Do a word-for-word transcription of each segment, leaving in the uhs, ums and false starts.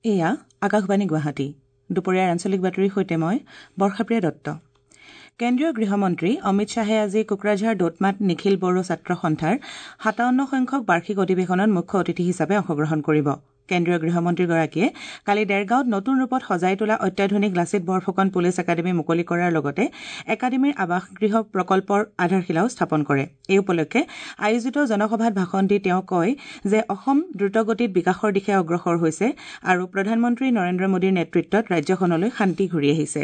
এয়া আকাশবাণী গুৱাহাটী। দুপৰীয়াৰ আঞ্চলিক বাতৰিৰ সৈতে মই বৰ্ষাপ্ৰিয়া দত্ত। কেন্দ্ৰীয় গৃহমন্ত্ৰী অমিত শ্বাহে আজি কোকৰাঝাৰ দোতমাত নিখিল বড়ো ছাত্ৰ সন্থাৰ সাতাৱন্ন সংখ্যক বাৰ্ষিক অধিৱেশনত মুখ্য অতিথি হিচাপে অংশগ্ৰহণ কৰিব। কেন্দ্ৰীয় গৃহমন্ত্ৰীগৰাকীয়ে কালি দেৰগাঁৱত নতুন ৰূপত সজাই তোলা অত্যাধুনিক লাচিত বৰফুকন পুলিচ একাডেমী মুকলি কৰাৰ লগতে একাডেমীৰ আৱাসগৃহ প্ৰকল্পৰ আধাৰশিলাও স্থাপন কৰে। এই উপলক্ষে আয়োজিত জনসভাত ভাষণ দি তেওঁ কয় যে অসম দ্ৰুতগতিত বিকাশৰ দিশে অগ্ৰসৰ হৈছে আৰু প্ৰধানমন্ত্ৰী নৰেন্দ্ৰ মোদীৰ নেতৃত্বত ৰাজ্যখনলৈ শান্তি ঘূৰি আহিছে।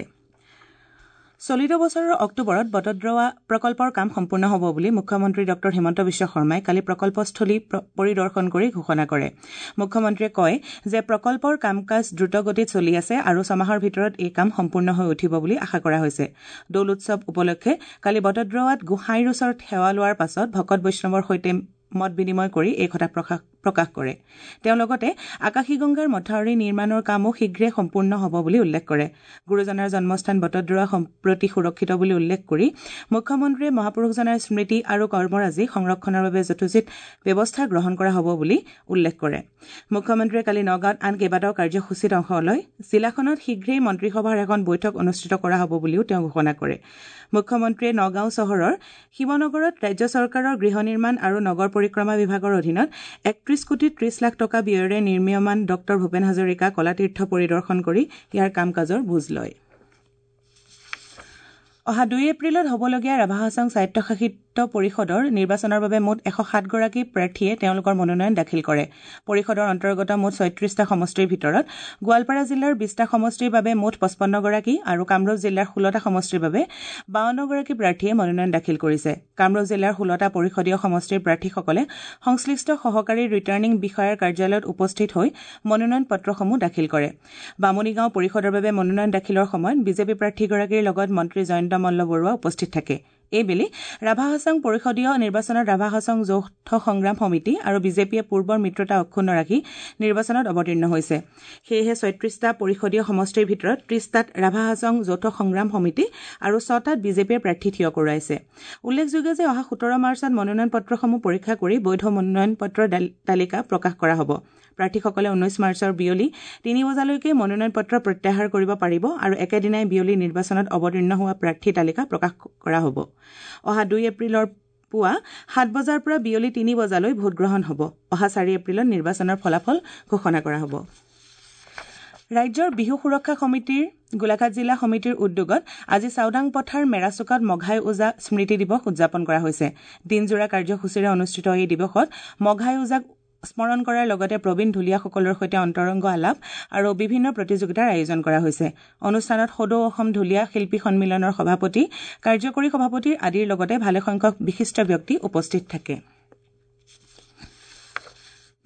চলিত বছৰৰ অক্টোবৰত বটদ্ৰৱা প্ৰকল্পৰ কাম সম্পূৰ্ণ হ'ব বুলি মুখ্যমন্ত্ৰী ডঃ হিমন্ত বিশ্ব শৰ্মাই কালি প্ৰকল্পস্থলী পৰিদৰ্শন কৰি ঘোষণা কৰে। মুখ্যমন্ত্ৰীয়ে কয় যে প্ৰকল্পৰ কাম কাজ দ্ৰুতগতিত চলি আছে আৰু ছমাহৰ ভিতৰত এই কাম সম্পূৰ্ণ হৈ উঠিব বুলি আশা কৰা হৈছে। দৌল উৎসৱ উপলক্ষে কালি বটদ্ৰৱাত গোসাঁইৰ ওচৰত সেৱা লোৱাৰ পাছত ভকত বৈষ্ণৱৰ সৈতে মত বিনিময় কৰি এই কথা প্ৰকাশ কৰে। তেওঁ লগতে আকাশীগংগাৰ মথাউৰি নিৰ্মাণৰ কামো শীঘ্ৰে সম্পূৰ্ণ হ'ব বুলি উল্লেখ কৰে। গুৰুজনাৰ জন্মস্থান বটদ্ৰৱা সম্প্ৰতি সুৰক্ষিত বুলি উল্লেখ কৰি মুখ্যমন্ত্ৰীয়ে মহাপুৰুষজনাৰ স্মৃতি আৰু কৰ্মৰাজি সংৰক্ষণৰ বাবে যথোচিত ব্যৱস্থা গ্ৰহণ কৰা হ'ব বুলি উল্লেখ কৰে। মুখ্যমন্ত্ৰীয়ে কালি নগাঁৱত আন কেইবাটাও কাৰ্যসূচীত অংশ লয়। জিলাখনত শীঘ্ৰেই মন্ত্ৰীসভাৰ এখন বৈঠক অনুষ্ঠিত কৰা হ'ব বুলিও তেওঁ ঘোষণা কৰে। মুখ্যমন্ত্ৰীয়ে নগাঁও চহৰৰ শিৱনগৰত ৰাজ্য চৰকাৰৰ গৃহ নিৰ্মাণ আৰু নগৰ পৰিক্ৰমা বিভাগৰ অধীনত একত্ৰিশ কোটি ত্ৰিশ লাখ টকা ব্যয়েৰে নিৰ্মীয়মান ডঃ ভূপেন হাজৰিকা কলাতীৰ্থ পৰিদৰ্শন কৰি ইয়াৰ কাম কাজৰ বুজ লয়। অহা দুই এপ্ৰিলত হ'বলগীয়া ৰাভা হাছং স্বায়ত্তশাসিত পৰিষদৰ নিৰ্বাচনৰ বাবে মুঠ এশ সাতগৰাকী প্ৰাৰ্থীয়ে তেওঁলোকৰ মনোনয়ন দাখিল কৰে। পৰিষদৰ অন্তৰ্গত মুঠ ছয়ত্ৰিশটা সমষ্টিৰ ভিতৰত গোৱালপাৰা জিলাৰ বিশটা সমষ্টিৰ বাবে মুঠ পঁচপন্নগৰাকী আৰু কামৰূপ জিলাৰ ষোল্লটা সমষ্টিৰ বাবে বাৱন্নগৰাকী প্ৰাৰ্থীয়ে মনোনয়ন দাখিল কৰিছে। কামৰূপ জিলাৰ ষোল্লটা পৰিষদীয় সমষ্টিৰ প্ৰাৰ্থীসকলে সংশ্লিষ্ট সহকাৰী ৰিটাৰ্ণিং বিষয়াৰ কাৰ্যালয়ত উপস্থিত হৈ মনোনয়ন পত্ৰসমূহ দাখিল কৰে। বামুণীগাঁও পৰিষদৰ বাবে মনোনয়ন দাখিলৰ সময়ত বিজেপি প্ৰাৰ্থীগৰাকীৰ লগত মন্ত্ৰী জয়ন্ত মল্ল বৰুৱা উপস্থিত থাকে। এইবেলি ৰাভা হাছং পৰিষদীয় নিৰ্বাচনত ৰাভা হাছং যৌথ সংগ্ৰাম সমিতি আৰু বিজেপিয়ে পূৰ্বৰ মিত্ৰতা অক্ষুণ্ণ ৰাখি নিৰ্বাচনত অৱতীৰ্ণ হৈছে। সেয়েহে ছয়ত্ৰিশটা পৰিষদীয় সমষ্টিৰ ভিতৰত ত্ৰিশটাত ৰাভা হাছং যৌথ সংগ্ৰাম সমিতি আৰু ছটাত বিজেপিয়ে প্ৰাৰ্থী থিয় কৰোৱাইছে। উল্লেখযোগ্য যে অহা সোতৰ মাৰ্চত মনোনয়ন পত্ৰসমূহ পৰীক্ষা কৰি বৈধ মনোনয়ন পত্ৰৰ তালিকা প্ৰকাশ কৰা হ'ব। প্ৰাৰ্থীসকলে ঊনৈশ মাৰ্চৰ বিয়লি তিনি বজালৈকে মনোনয়ন পত্ৰ প্ৰত্যাহাৰ কৰিব পাৰিব আৰু একেদিনাই বিয়লি নিৰ্বাচনত অৱতীৰ্ণ হোৱা প্ৰাৰ্থী তালিকা প্ৰকাশ কৰা হ'ব। অহা দুই এপ্ৰিলৰ পুৱা সাত বজাৰ পৰা বিয়লি তিনি বজালৈ ভোটগ্ৰহণ হ'ব। অহা চাৰি এপ্ৰিলত নিৰ্বাচনৰ ফলাফল ঘোষণা কৰা হ'ব। ৰাজ্যৰ বিহু সুৰক্ষা সমিতিৰ গোলাঘাট জিলা সমিতিৰ উদ্যোগত আজি চাওদাং পথাৰ মেৰাচুকাত মঘাই ওজা স্মৃতি দিৱস উদযাপন কৰা হৈছে। দিনজোৰা কাৰ্যসূচীৰে অনুষ্ঠিত এই দিৱসত মঘাই ওজাক স্মৰণ কৰাৰ লগতে প্ৰবীণ ঢুলীয়াসকলৰ সৈতে অন্তৰংগ আলাপ আৰু বিভিন্ন প্ৰতিযোগিতাৰ আয়োজন কৰা হৈছে। অনুষ্ঠানত সদৌ অসম ঢুলীয়া শিল্পী সন্মিলনৰ সভাপতি, কাৰ্যকৰী সভাপতি আদিৰ লগতে ভালেসংখ্যক বিশিষ্ট ব্যক্তি উপস্থিত থাকে।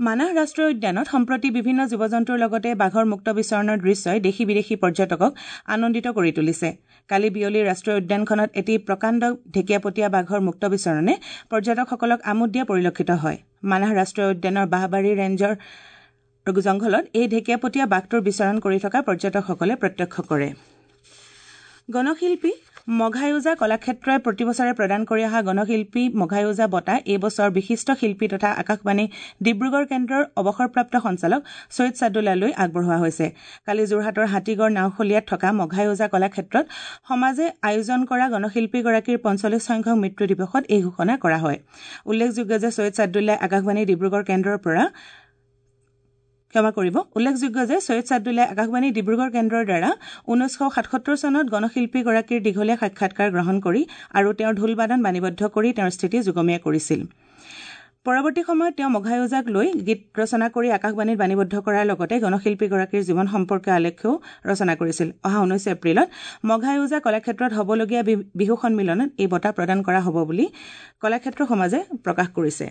মানাহ ৰাষ্ট্ৰীয় উদ্যানত সম্প্ৰতি বিভিন্ন জীৱ জন্তুৰ লগতে বাঘৰ মুক্ত বিচৰণৰ দৃশ্যই দেশী বিদেশী পৰ্যটকক আনন্দিত কৰি তুলিছে। কালি বিয়লি ৰাষ্ট্ৰীয় উদ্যানখনত এটি প্ৰকাণ্ড ঢেকীয়াপতীয়া বাঘৰ মুক্ত বিচৰণে পৰ্যটকসকলক আমোদ দিয়া পৰিলক্ষিত হয়। মানাহ ৰাষ্ট্ৰীয় উদ্যানৰ বাঁহবাৰী ৰেঞ্জৰ জংঘলত এই ঢেকীয়াপতীয়া বাঘটোৰ বিচৰণ কৰি থকা পৰ্যটকসকলে প্ৰত্যক্ষ কৰে। গণশিল্পী মঘাই ওজা কলাক্ষেত্ৰই প্ৰতিবছৰে প্ৰদান কৰি অহা গণশিল্পী মঘাই ওজা বঁটা এই বছৰ বিশিষ্ট শিল্পী তথা আকাশবাণী ডিব্ৰুগড় কেন্দ্ৰৰ অৱসৰপ্ৰাপ্ত সঞ্চালক ছৈয়দ চাদুল্লালৈ আগবঢ়োৱা হৈছে। কালি যোৰহাটৰ হাতীগড় নাওখলীয়াত থকা মঘাই ওজা কলাক্ষেত্ৰত সমাজে আয়োজন কৰা গণশিল্পীগৰাকীৰ পঞ্চল্লিছ সংখ্যক মৃত্যু দিৱসত এই ঘোষণা কৰা হয়। উল্লেখযোগ্য যে ছৈয়দ চাদুল্লাই আকাশবাণী ডিব্ৰুগড় কেন্দ্ৰৰ পৰা ক্ষমা কৰিব। উল্লেখযোগ্য যে ছৈয়দ চাদুল্লাই আকাশবাণী ডিব্ৰুগড় কেন্দ্ৰৰ দ্বাৰা ঊনৈছশ সাতসত্তৰ চনত গণশিল্পীগৰাকীৰ দীঘলীয়া সাক্ষাৎকাৰ গ্ৰহণ কৰি আৰু তেওঁৰ ঢোলবাদন বাণীবদ্ধ কৰি তেওঁৰ স্থিতি যুগমীয়া কৰিছিল। পৰৱৰ্তী সময়ত তেওঁ মঘাই ওজাক লৈ গীত ৰচনা কৰি আকাশবাণীত বাণীবদ্ধ কৰাৰ লগতে গণশিল্পীগৰাকীৰ জীৱন সম্পৰ্কীয় আলেখ্যও ৰচনা কৰিছিল। অহা ঊনৈছ এপ্ৰিলত মঘাই ওজা কলাক্ষেত্ৰত হ'বলগীয়া বিহু সন্মিলনত এই বঁটা প্ৰদান কৰা হ'ব বুলি কলাক্ষেত্ৰ সমাজে প্ৰকাশ কৰিছে।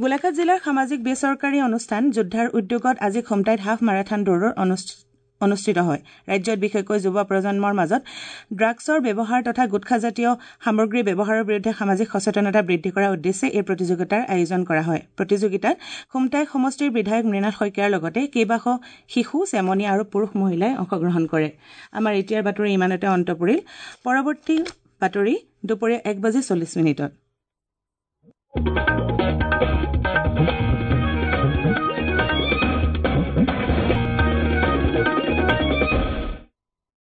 গোলাঘাট জিলাৰ সামাজিক বেচৰকাৰী অনুষ্ঠান যোদ্ধাৰ উদ্যোগত আজি খুমটাইত হাফ মাৰাথান দৌৰৰ অনুষ্ঠিত হয়। ৰাজ্যত বিশেষকৈ যুৱ প্ৰজন্মৰ মাজত ড্ৰাগছৰ ব্যৱহাৰ তথা গুটখাজাতীয় সামগ্ৰীৰ ব্যৱহাৰৰ বিৰুদ্ধে সামাজিক সচেতনতা বৃদ্ধি কৰাৰ উদ্দেশ্যে এই প্ৰতিযোগিতাৰ আয়োজন কৰা হয়। প্ৰতিযোগিতাত খুমটাই সমষ্টিৰ বিধায়ক মৃণাল শইকীয়াৰ লগতে কেইবাশ শিশু, চেমনীয়া আৰু পুৰুষ মহিলাই অংশগ্ৰহণ কৰে। আমাৰ এতিয়াৰ বাতৰি ইমানতে অন্ত পৰিল। পৰৱৰ্তী বাতৰি দুপৰীয়া এক বাজি চল্লিছ মিনিটত।